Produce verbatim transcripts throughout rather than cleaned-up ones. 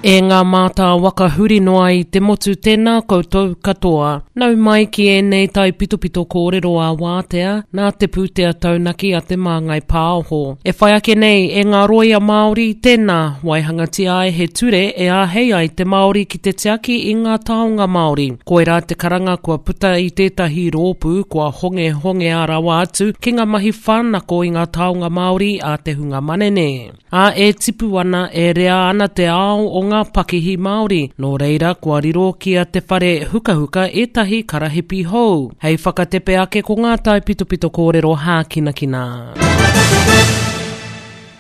E ngā mātā waka huri noa i te motu tēnā koutou katoa. Nau mai ki ēnei taipitopito kōrero a wātea, nā te pūtea taunaki a te Māngai Pāho. E whai ake nei e ngā roia Māori, tēnā, waihangatia ai he ture e āhei ai te Māori ki te tiaki i ngā taonga Māori. Koirā te karanga kua puta i tētahi rōpū kua hongehongea rawa atu ki ngā mahi whānako i ngā taonga Māori a te hunga manene. Ā, e tipu ana, e rea ana te ao o ngā pakihi Māori. Nō reira, kua riro ki a Te Whare Hukahuka ētahi karahipi hou. Hei whakatepe ake ko ngā taipitopito kōrero hākinakina.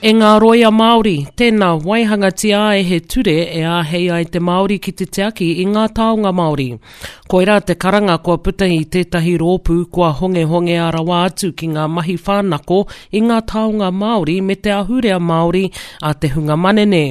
E ngā roia Māori, tēnā waihangatia ai he ture e āhei ai te Māori ki te tiaki i ngā taonga Māori. Koirā te karanga kua puta i tētahi rōpū kua hongehongea rawa atu ki ngā mahi whānako i ngā taonga Māori me te ahurea Māori a te hunga manene.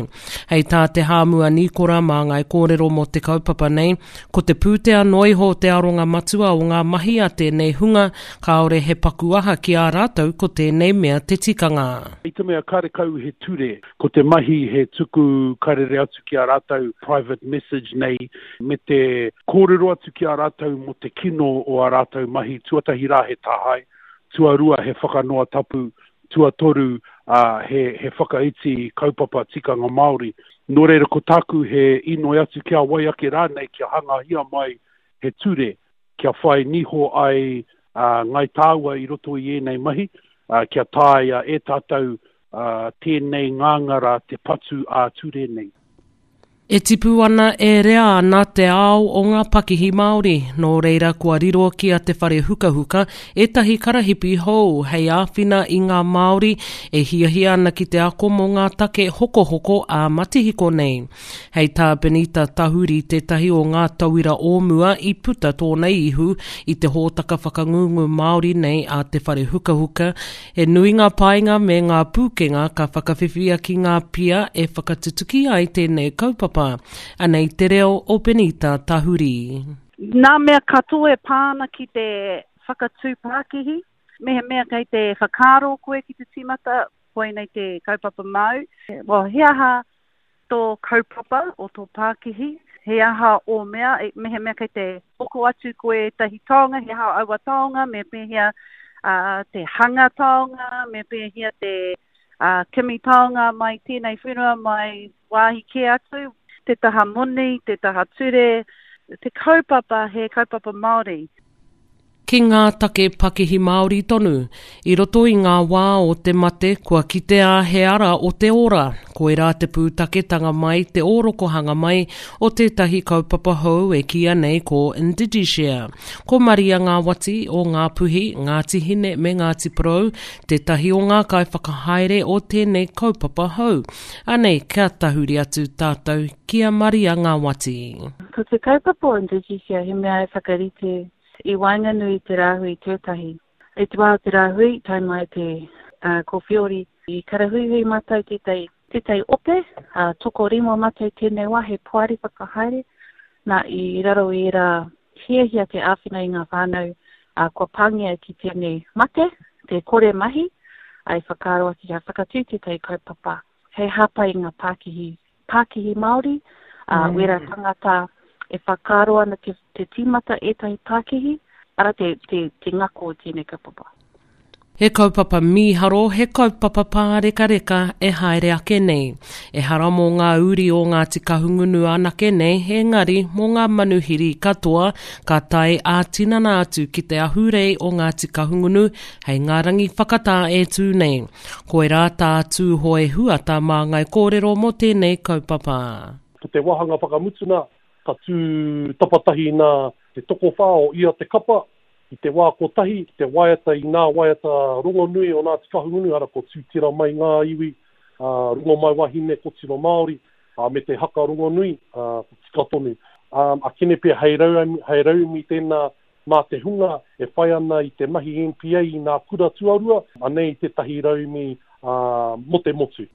Hei tā te Hāmua Nīkora māngai kōrero mō te kaupapa nei, ko te pūtea noa iho te aronga matua o ngā mahi a tēnei hunga, kāore he paku aha ki a rātou ko tēnei mea te tikanga. I te mea karekau he ture, ko te mahi he tuku karere atu ki a rātou private message nei, me te kōrero atu ki a rātou mō te kino o a rātou mahi, tuatahi rā he tāhae, tuarua he whakanoa tapu, tuatoru uh, he, he whakaiti kaupapa tikanga Māori. Nō reira ko tāku he inoi atu ki a wai ake rānei kia hangahia mai he ture, kia whai niho ai uh, ngai tāua i roto i ēnei mahi, uh, kia taea e tātou uh, tēnei ngāngara te patu ā-ture nei. E tipu ana e rea ana te ao o ngā pakihi Māori, nō reira kua riro ki a Te Whare Hukahuka ētahi karahipi hou hei āwhina i ngā Māori e hiahia ana ki te ako mō ngā take hokohoko ā matihiko nei. Hei tā Benita Tahuri tētahi o ngā tauira o mua i puta tōna ihu i te hōtaka whakangungu Māori nei a Te Whare Hukahuka, he nui ngā painga me ngā pūkenga ka whakawhiwhia ki ngā pia e whakatutuki ai tēnei kaupapa. Anei te reo o Benita Tahuri. Nā mea katoa e pā ana ki te whakatū pākihi, mehemea kei te whakaaro koe ki te tīmata, koinei te kaupapa māu. Well, he aha tō kaupapa o tō pākihi, he aha ō mea, mehemea kei te hoko atu koe ētahi taonga, he aha aua taonga, me pēhea uh, te hanga taonga, me pēhea te uh, kimi taonga mai tēnei whenua, mai wāhi kē atu, te taha moni, te taha ture, te kaupapa he kaupapa Māori. Ki ngā take pakihi Māori tonu, i roto i ngā wā o te mate kua kitea he ara o te ora, koirā te pūtaketanga mai, te ōrokohanga mai o tētahi kaupapa hou e kīia nei ko IndigiShare. Ko Maria Ngāwati o Ngāpuhi, Ngāti Hine me Ngāti Porou, tētahi o ngā kaiwhakahaere o tēnei kaupapa hou. Anei, kia tahuri atu tātou ki a Maria Ngāwati. Ko te kaupapa o IndigiShare he mea e whakarite i waenganui i te rāhui tuatahi. I te wā o te rāhui, tae mai te uh, kōwhiori i karahuihui mātou tētahi, tētahi ope, uh, tokorima mātou tēnei wā he poari whakahaere, nā i raro i ērā hiahia te āwhina i ngā whānau uh, kua pāngia ki tēnei mate, te kore mahi, ai whakaaro ake kia whakatū tētahi kaupapa hei hāpai i ngā pākihi, pākihi Māori, uh, mm. wera tangata e whakaaro ana te, te tīmata ētahi pākihi, ara te, te, te ngako o tēnei kaupapa. He kaupapa mīharo, he kaupapa pārekareka e haere ake nei. Ehara mō ngā uri o Ngāti Kahungunu anake nei, engari mō ngā manuhiri katoa ka tae ā-tinana atu ki te ahurei o Ngāti Kahungunu hei ngā rangi whakatā e tū nei. Koirā tā Tūhoe Huata māngai kōrero mō tēnei kaupapa. Ko te wāhanga whakamutuna, ka tū tapatahi nā te tokowhā o ia te kapa, i te wā kotahi, ki te waiata i ngā waiata rongonui o Ngāti Kahungunu, ara ko Tūtira mai ngā iwi, uh, Rongomaiwahine, Kotiro Māori, uh, me te haka rongonui, uh, ko tika tonu. Um, a kene pea hei rauemi, hei rauemi tēnā mā te hunga e whai ana i te mahi N P A i ngā kura tuarua, anei tētahi rauemi uh, mō te motu.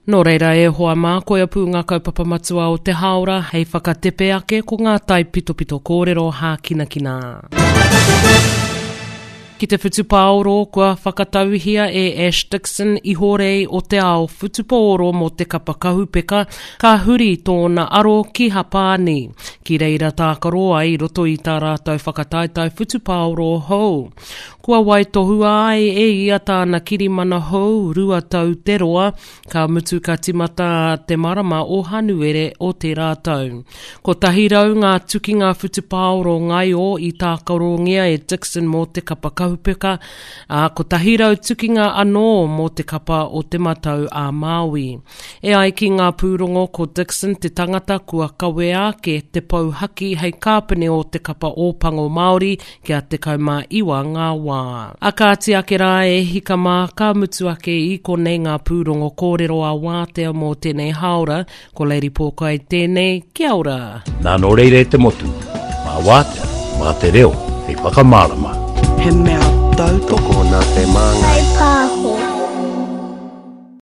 Nō reira e hoa mā, koia pū ngā kaupapa matua o te haora hei whakatepe ake ko ngā taipitopito kōrero hākinakina. Ki te whutupaoro kua whakatauhia e Ash Dixon ihorei o te ao whutupaoro mō te kapa kahupeka, ka huri tōna aro ki Hapāni. Ki reira tākaro ai i roto i tā rātou whakataetae whutupaoro hou. Kua waitohua ai e ia tāna kirimana hou rua tau te roa, ka mutu ka timata te marama o Hanuere o tērā tau. Kotahi rau ngā tukinga whutupaoro ngaio i tākarongia e Dixon mō te kapa kahupeka, ā, kotahi rau tukinga anō mō te kapa o Te Matau a Māui. E ai ki ngā pūrongo ko Dixon te tangata kua kawea ake te pou haki hei kāpene o te kapa Ōpango Māori kia tekau mā iwa ngā wā. A kāti ake rā e hika mā, ka mutu ake i konei ngā pūrongo kōrero a Wātea mō tēnei hāora, ko Lady Pōkai tēnei, kia ora! Nā nō reira e te motu, mā Wātea, mā te reo hei whakamārama. He mea tautoko nā Te Māngai Pāho.